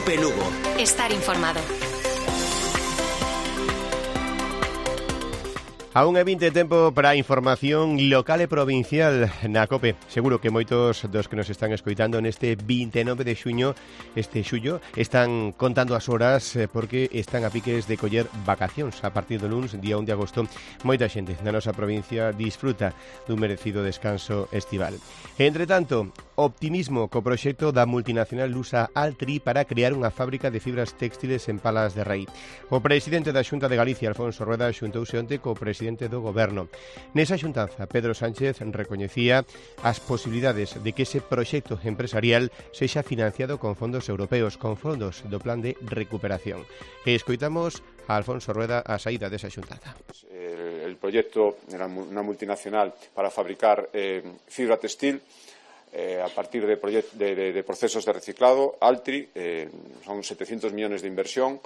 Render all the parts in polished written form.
COPE Lugo. Estar informado. Aún é 20 tempo para a información local e provincial na COPE. Seguro que moitos dos que nos están escoitando neste 29 de xullo están contando as horas porque están a piques de coller vacacións. A partir do luns, día 1 de agosto, moita xente na nosa provincia disfruta dun merecido descanso estival. Entre tanto, optimismo co proxecto da multinacional lusa Altri para crear unha fábrica de fibras textiles en Palas de Rei. O presidente da Xunta de Galicia, Alfonso Rueda, xuntouse onte co presidente do Goberno. Nesa xuntanza, Pedro Sánchez recoñecía as posibilidades de que ese proxecto empresarial sexa financiado con fondos europeos, con fondos do Plan de Recuperación. E escoitamos a Alfonso Rueda a saída desa xuntanza. El proyecto era una multinacional para fabricar fibra textil a partir de procesos de reciclado. Altri, son 700 millones de inversión,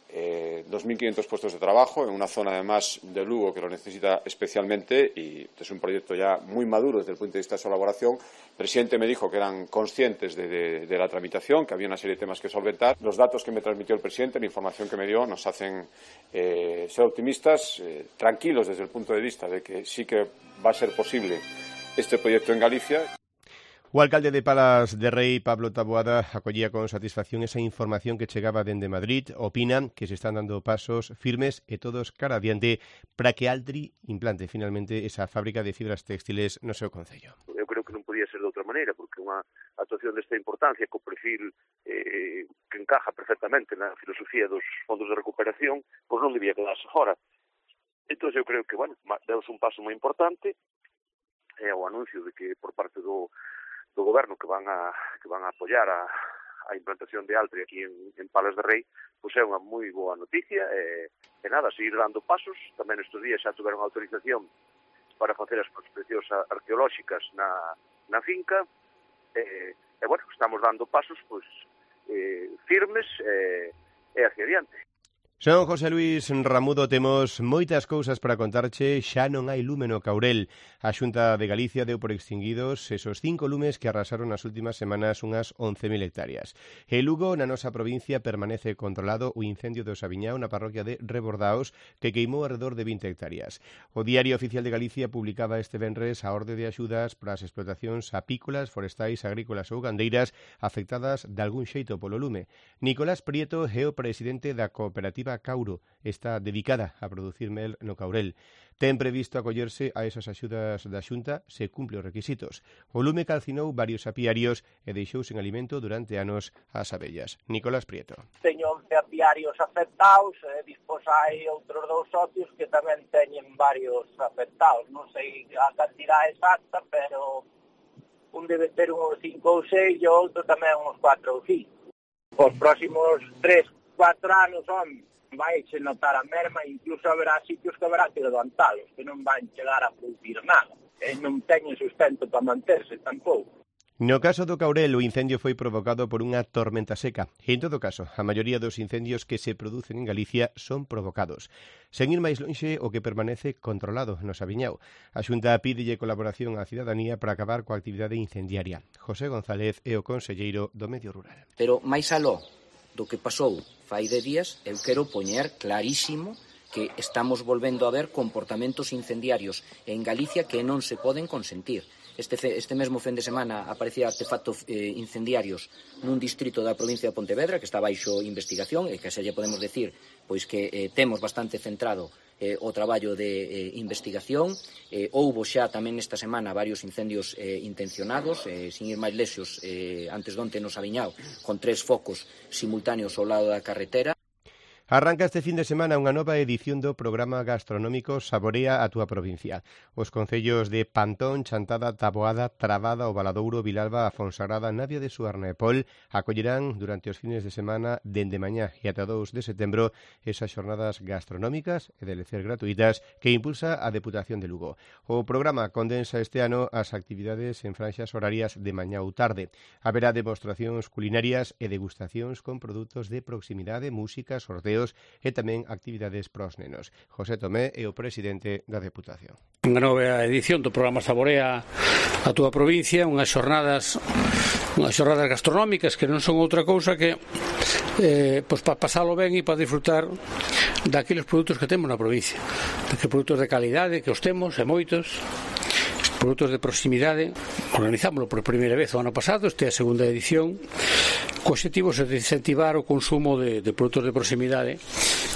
2.500 puestos de trabajo en una zona además de Lugo que lo necesita especialmente, y es un proyecto ya muy maduro desde el punto de vista de su elaboración. El presidente me dijo que eran conscientes de la tramitación, que había una serie de temas que solventar. Los datos que me transmitió el presidente, la información que me dio, nos hacen ser optimistas, tranquilos desde el punto de vista de que sí que va a ser posible este proyecto en Galicia. O alcalde de Palas de Rei, Pablo Taboada, acollía con satisfacción esa información que chegaba dende Madrid. Opina que se están dando pasos firmes e todos cara adiante para que Altri implante finalmente esa fábrica de fibras textiles no seu concello. Eu creo que non podía ser de outra maneira, porque unha actuación desta importancia co perfil que encaja perfectamente na filosofía dos fondos de recuperación, pois non debía quedarse fora. Entón eu creo que, demos un paso moi importante, é o anuncio de que por parte do Goberno que van a apoiar a implantación de Altri aquí en Palas de Rei, pois é unha moi boa noticia, e nada, seguir dando pasos. Tamén estes días xa tiveron autorización para facer as prospeccións arqueolóxicas na finca, estamos dando pasos firmes e hacia adiante. Son José Luis Ramudo, temos moitas cousas para contarche, xa non hai lume no Caurel. A Xunta de Galicia deu por extinguidos esos 5 lumes que arrasaron nas últimas semanas unhas 11.000 hectáreas. E Lugo, na nosa provincia, permanece controlado o incendio do Sabiñao na parroquia de Rebordaos, que queimou alrededor de 20 hectáreas. O Diario Oficial de Galicia publicaba este venres a orde de axudas para as explotacións apícolas, forestais, agrícolas ou gandeiras afectadas de algún xeito polo lume. Nicolás Prieto é o presidente da cooperativa Cauro, está dedicada a producir mel no Caurel. Ten previsto acollerse a esas axudas da Xunta se cumpre os requisitos. O lume calcinou varios apiarios e deixou sen alimento durante anos as abellas. Nicolás Prieto. Teño 11 apiarios afectados, dispós hai outros 2 socios que tamén teñen varios afectados. Non sei a cantidade exacta, pero un debe ter uns 5 ou 6 e o outro tamén uns 4 ou 5. Os próximos 3-4 anos, vai se notar a merma, incluso haberá sitios que haberá que levantalos, que non van chegar a producir nada, e non teñen sustento para manterse tampouco. No caso do Caurel, o incendio foi provocado por unha tormenta seca. E, en todo caso, a maioría dos incendios que se producen en Galicia son provocados. Sen ir máis lonxe, o que permanece controlado no Sabiñao. A Xunta pídelle colaboración á cidadanía para acabar coa actividade incendiaria. José González é o conselleiro do Medio Rural. Pero máis aló do que pasou fai de días, eu quero poñer clarísimo que estamos volvendo a ver comportamentos incendiarios en Galicia que non se poden consentir. Este mesmo fin de semana aparecía artefactos incendiarios nun distrito da provincia de Pontevedra que está baixo investigación e que xa lle podemos decir pois que temos bastante centrado o traballo de investigación. Houbo xa tamén esta semana varios incendios intencionados, sin ir máis lexos, antes de onte no Sabiñao, con 3 focos simultáneos ao lado da carretera. Arranca este fin de semana unha nova edición do programa gastronómico Saborea a túa provincia. Os concellos de Pantón, Chantada, Taboada, Trabada, O Valadouro, Vilalba, a Fonsagrada, Navia de Suarna e Pol acollerán durante os fines de semana dende mañá e ata 2 de setembro esas xornadas gastronómicas e de lecer gratuitas que impulsa a Deputación de Lugo. O programa condensa este ano as actividades en franxas horarias de mañá ou tarde. Haberá demostracións culinarias e degustacións con produtos de proximidade, música, sorteos e tamén actividades pros nenos. José Tomé é o presidente da Deputación. Unha nova edición do programa Saborea a túa provincia, unhas xornadas unhas xornadas gastronómicas que non son outra cousa que pois para pasalo ben e para disfrutar daqueles produtos que temos na provincia, daqueles produtos de calidade que os temos, e moitos produtos de proximidade. Organizámoslo por primeira vez o ano pasado, esta é a segunda edición, co obxectivo de incentivar o consumo de produtos de proximidade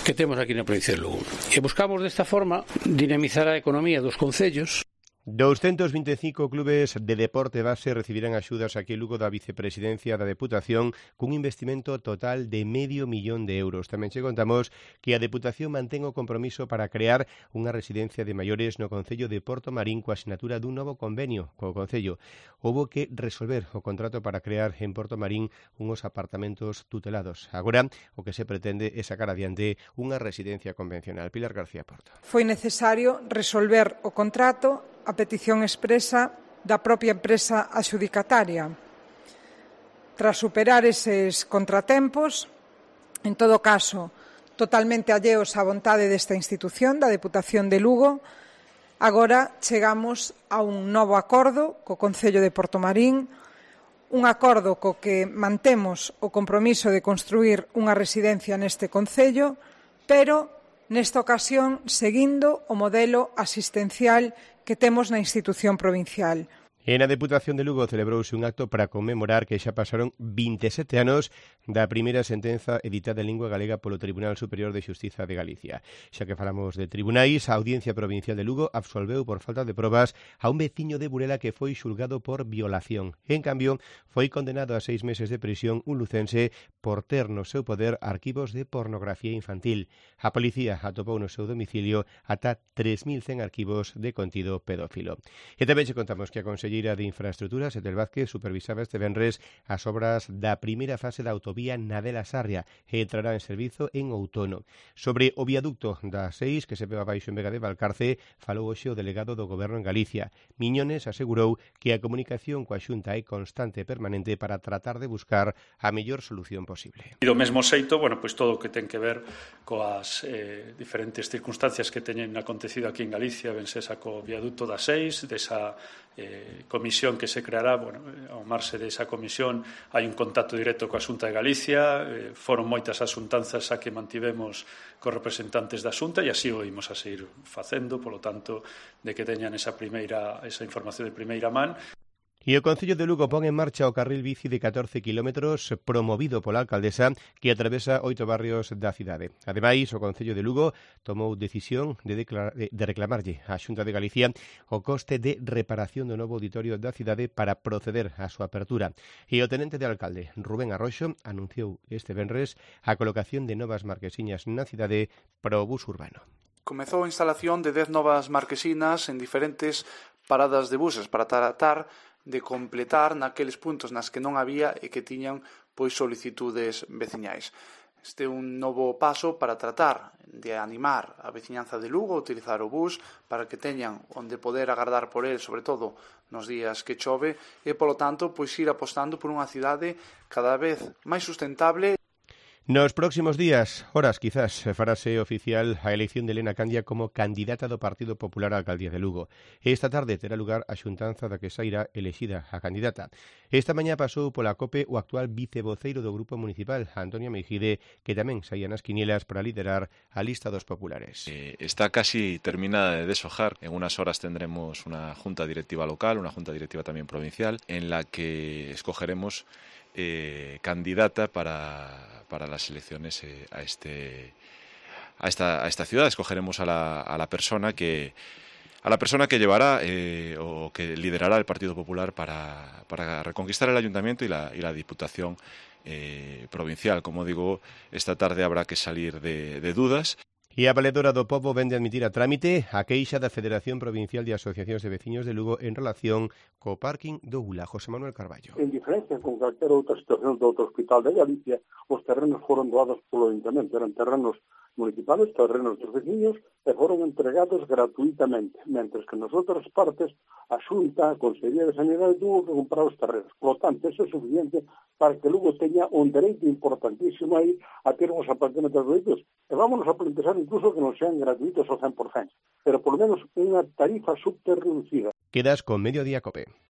que temos aquí na provincia de Lugo. E buscamos desta forma dinamizar a economía dos concellos. 225 clubes de deporte base recibirán axudas aquí en Lugo da Vicepresidencia da Deputación cun investimento total de €500.000. Tamén che contamos que a Deputación mantén o compromiso para crear unha residencia de maiores no Concello de Portomarín coa asinatura dun novo convenio co Concello. Houbo que resolver o contrato para crear en Portomarín unhos apartamentos tutelados. Agora o que se pretende é sacar adiante unha residencia convencional. Pilar García Porto. Foi necesario resolver o contrato a petición expresa da propia empresa adxudicataria. Tras superar eses contratempos, en todo caso, totalmente alleos á vontade desta institución, da Deputación de Lugo, agora chegamos a un novo acordo co Concello de Portomarín, un acordo co que mantemos o compromiso de construir unha residencia neste concello, pero nesta ocasión seguindo o modelo asistencial que temos na institución provincial. En a Deputación de Lugo celebrouse un acto para conmemorar que xa pasaron 27 anos da primeira sentenza editada en lingua galega polo Tribunal Superior de Xustiza de Galicia. Xa que falamos de tribunais, a Audiencia Provincial de Lugo absolveu por falta de probas a un veciño de Burela que foi xulgado por violación. En cambio, foi condenado a 6 meses de prisión un lucense por ter no seu poder arquivos de pornografía infantil. A policía atopou no seu domicilio ata 3.100 arquivos de contido pedófilo. E tamén che contamos que a Conselleira de Infraestructuras, Etel Vázquez, supervisaba este venres as obras da primeira fase da autovía Nadela-Sarria e entrará en servizo en outono. Sobre o viaducto da 6 que se pega baixo en Vega de Valcarce, falou hoxe o delegado do Goberno en Galicia. Miñones asegurou que a comunicación coa Xunta é constante e permanente para tratar de buscar a mellor solución posible. E do mesmo xeito, pois todo o que ten que ver coas diferentes circunstancias que teñen acontecido aquí en Galicia, ben sesa co viaduto da 6, desa comisión que se creará, ao marxe desa comisión hai un contacto directo coa Xunta de Galicia, foron moitas as xuntanzas a que mantivemos cos representantes da Xunta e así o imos a seguir facendo, polo tanto, de que teñan esa información de primeira man. E o Concello de Lugo pon en marcha o carril bici de 14 kilómetros promovido pola alcaldesa que atravesa 8 barrios da cidade. Ademais, o Concello de Lugo tomou decisión de reclamarlle á Xunta de Galicia o coste de reparación do novo auditorio da cidade para proceder á súa apertura. E o tenente de alcalde, Rubén Arroxo, anunciou este venres a colocación de novas marquesiñas na cidade para o bus urbano. Comezou a instalación de 10 novas marquesinas en diferentes paradas de buses para tratar de completar naqueles puntos nas que non había e que tiñan solicitudes veciñais. Este é un novo paso para tratar de animar a veciñanza de Lugo a utilizar o bus para que teñan onde poder agardar por el, sobre todo nos días que chove, e polo tanto ir apostando por unha cidade cada vez máis sustentable. Nos próximos días, horas quizás, farase oficial a elección de Elena Candia como candidata do Partido Popular á alcaldía de Lugo. Esta tarde terá lugar a xuntanza da que sairá elexida a candidata. Esta mañá pasou pola COPE o actual vicevoceiro do Grupo Municipal, Antonio Meijide, que tamén saía nas quinielas para liderar a lista dos populares. Está casi terminada de deshojar. En unas horas tendremos una junta directiva local, una junta directiva también provincial, en la que escogeremos candidata para las elecciones a esta ciudad. Escogeremos a la persona que llevará o que liderará el Partido Popular para reconquistar el ayuntamiento y la diputación provincial. Como digo, esta tarde habrá que salir de dudas. E a Valedora do Pobo vende admitir a trámite a queixa da Federación Provincial de Asociacións de Veciños de Lugo en relación co parking do Ula. José Manuel Carballo. En diferencia con calquera outra situación do outro hospital de Galicia, os terrenos foron doados polo Ayuntamiento. Eran terrenos municipales, terrenos dos veciños, e foron entregados gratuitamente, mentres que nas outras partes a Xunta, a Consellería de Sanidade tuvo que comprar os terrenos. Por lo tanto, eso é suficiente para que Lugo teña un dereito importantísimo aí a ter uns apartamentos gratuitos. E vámonos a plantear incluso que non sean gratuitos ao 100%, pero por lo menos unha tarifa subterreducida. Quedas con Mediodía Cope.